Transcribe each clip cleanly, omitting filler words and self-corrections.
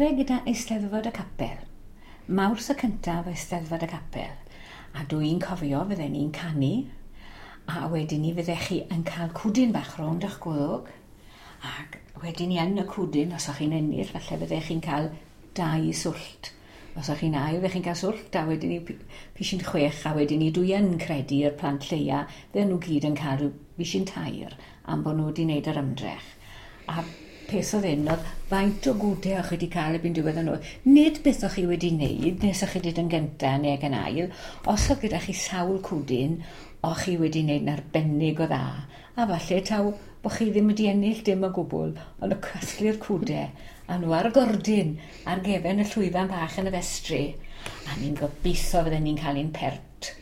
dechrau gyda Eisteddfod y Capel. Mawrth y cyntaf Eisteddfod y Capel. A dwi'n cofio fydden ni'n canu, a wedyn ni fyddech chi yn cael cwdyn bach rownd eich gwddwg, ac wedyn ni yn y cwdyn, os o'ch chi'n ennill, falle fyddech chi'n cael 2 swllt. Os o'ch chi'n ail, fyddech chi'n cael swllt, a wedyn ni pishyn 6, a wedyn ni dwi yn credu i'r plant lleia, fydden nhw gyd yn cael rhyw bishyn 3 am bod nhw wedi wneud yr ymdrech. A peth oedd hyn, oedd faint o gwdau o'ch chi wedi cael erbyn diwedd y nos. Nid beth o'ch chi wedi wneud, nes o'ch chi wedi yn gyntaf neu ac yn ail. Os oedd gyda chi sawl cwdyn, o'ch chi wedi wneud yn arbennig o dda. A falle taw bod chi ddim wedi ennill dim o gwbl, ond y casglu'r cwdau, a nhw ar y gordyn, ar gefen y llwyfan bach yn y festri. A ni'n gobeithio fydden ni'n cael un pert.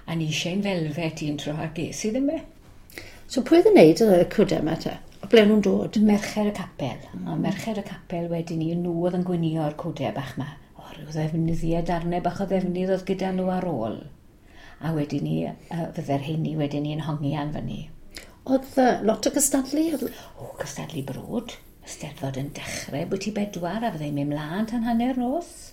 A ni eisiau un felfet un tro a ges i ddim e. So pwy oedd yn neud y cwdau yma te? O ble nhw'n dod? Merched y Capel. A Merched y Capel wedyn ni, nhw oedd yn gwinio'r cwdau bach ma. O, rhyw ddefnyddiau, darnau bach o ddefnydd oedd gyda nhw ar ôl. A wedyn ni, fydde'r heini wedyn ni'n hongian fyny. Oedd lot o gystadlu? O, cystadlu brwd. Y Steddfod yn dechrau bwyty 4 a fyddai'n mynd mlaen tan hanner nos.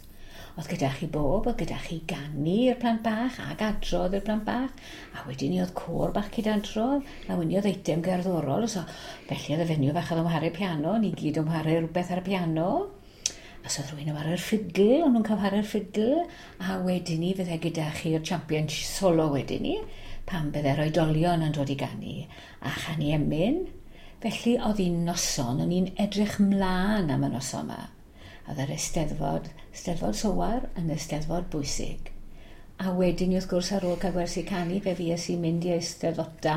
Oedd gyda chi bob, oedd gyda chi ganu i'r plant bach ac adrodd i'r plant bach. A wedyn ni oedd côr bach cydadrodd, a wedyn ni oedd eitem gerddorol. So, felly oedd y fenyw fach oedd yn chwarae piano, ni gyd yn chwarae rhywbeth ar y piano. A so oedd rhywun yn chwarae'r ffidl, o'n nhw'n cael chwarae'r ffidl. A wedyn ni fydde gyda chi'r champion solo wedyn ni, pan bydde'r oedolion yn dod i ganu a chanu emyn. Felly oedd hi'n noson, o'n i'n edrych mlaen am y noson yma. Oedd yr eisteddfod, Steddfod Sowar yn eisteddfod bwysig. A wedyn ni wrth gwrs ar ôl cael gwersi canu fe fues i'n mynd i eisteddfota,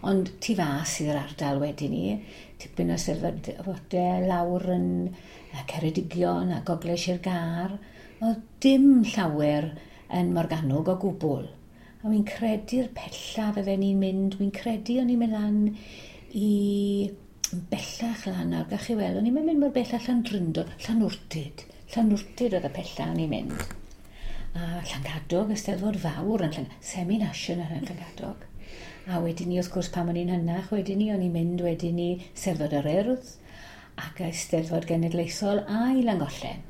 ond tu fas i'r ardal wedyn ni, tipyn o eisteddfodau lawr yn Ceredigion a Gogledd Sir Gâr. Oedd dim llawer yn Morgannwg o gwbl. A wy'n credu'r pella fydden ni'n mynd, wy'n credu o'n i'n mynd lan i bellach lan nawr, gach chi weld, o'n i'n mynd mor bell â Llandrindod, Llanwrtyd. Llanwrtyd oedd y pella o'n i'n mynd. A Llangadog, Eisteddfod fawr yn semi-national yn Llangadog. A wedyn ni, wrth gwrs, pan o'n i'n hynach, wedyn ni, o'n i'n mynd wedyn ni Steddfod yr Urdd ac Eisteddfod Genedlaethol a i Langollen.